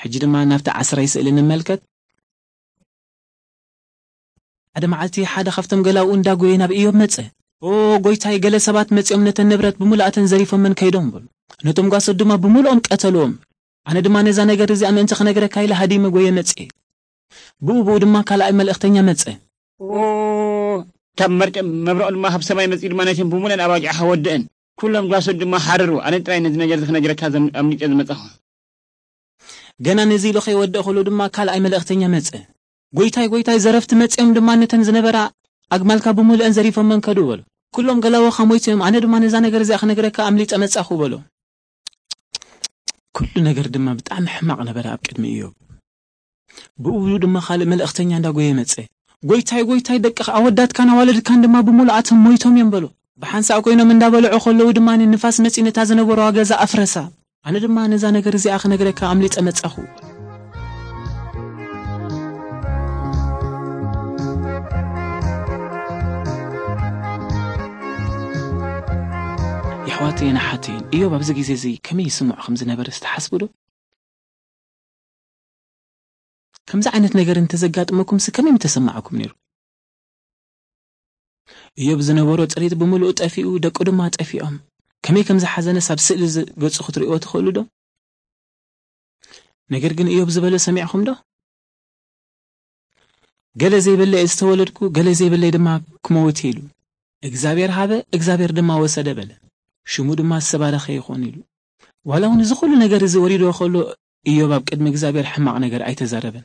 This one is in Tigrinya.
ሕጂ ድማ ናብቲ ዓስራይ ስእሊ ንመልከት። ሓደ መዓልቲ ሓደ ካብቶም ገላውኡ እንዳጎየ ናብ ኢዮብ መጸ። "ኦ ጎይታይ፣ ገለ ሰባት መጺኦም ነተን ንብረት ብምሉኣተን ዘሪፎመን ከይዶም" በሉ። ነቶም ጓሶት ድማ ብምሉኦም ቀተልዎም። ኣነ ድማ ነዛ ነገር እዚኣ ምእንቲ ክነግረካ ኢለ ሃዲመ ጎየ መጽየ። ብኡ ብኡ ድማ ካልኣይ መልእኽተኛ መጸ። "ኦ፣ ካብ መርጨ መብረቕ ድማ ካብ ሰማይ መጺኡ ድማ ነተን ብምሉኣን ኣባጊዕኻ ወደአን። ኩሎም ጓሶት ድማ ሓረሩ። ኣነ ጥራይ ነዚ ነገር እዚ ክነግረካ ዘም-፣ ኣምሊጠ ዝመጻኹ." ገና ነዚ ኢሉ ከይወድእ ከሎ ድማ ካልኣይ መልእኽተኛ መጸ። "ጎይታይ፣ ጎይታይ፣ ዘረፍቲ መጺኦም ድማ ነተን ዝነበራ ኣግማልካ ብምሉአን ዘሪፎመን ከዱ" በሉ። "ኩሎም ገላውኻ ሞይቶም እዮም። ኣነ ድማ ነዛ ነገር እዚኣ ክነግረካ ኣምሊጠ መጻኹ" በሎ። ኩሉ ነገር ድማ ብጣዕሚ ሕማቕ ነበረ ኣብ ቅድሚ ኢዮብ። ብኡ ድማ ካልእ መልእኽተኛ እንዳጎየ መጸ። "ጎይታይ፣ ጎይታይ፣ ደቅኻ፣ ኣወዳትካን ኣዋልድካን ድማ ብምሉኣቶም ሞይቶም እዮም" በሎ። ብሓንሳእ ኮይኖም እንዳበልዑ ከለዉ ድማ ንፋስ መጺኡ ነታ ዝነበረዋ ገዛ ኣፍረሳ። ኣነ ድማ ነዛ ነገር እዚኣ ክነግረካ ኣምሊጠ መጻኹ። የሕዋተይን ኣሓተይን፣ ኢዮብ ኣብዚ ግዜ እዚ ከመይ ይስምዖ ከም ዝነበረ ዝተሓስቡ ዶ? ከምዚ ዓይነት ነገር እንተዘጋጥመኩምሲ ከመይ ምተሰማዓኩም ነይሩ? ኢዮብ ዝነበሮ ጥሪት ብምሉኡ ጠፊኡ፣ ደቁ ድማ ጠፊኦም። ከመይ ከም ዝሓዘነስ ኣብ ስእሊ እዚ ገጹ ክትርእይዎ ትኽእሉ ዶ? ነገር ግን ኢዮብ ዝበሎ ሰሚዕኹም ዶ? "ገለ ዘይብለይ ዝተወለድኩ፣ ገለ ዘይብለይ ድማ ክመውት" ኢሉ። "እግዚኣብሔር ሃበ፣ እግዚኣብሔር ድማ ወሰደ" በለ። ሽሙ ድማ ዝተባረኸ ይኹን ኢሉ። ዋላ እውን እዚ ኩሉ ነገር እዚ ወሪድዎ ከሎ፣ ኢዮብ ኣብ ቅድሚ እግዚኣብሔር ሕማቕ ነገር ኣይተዛረበን።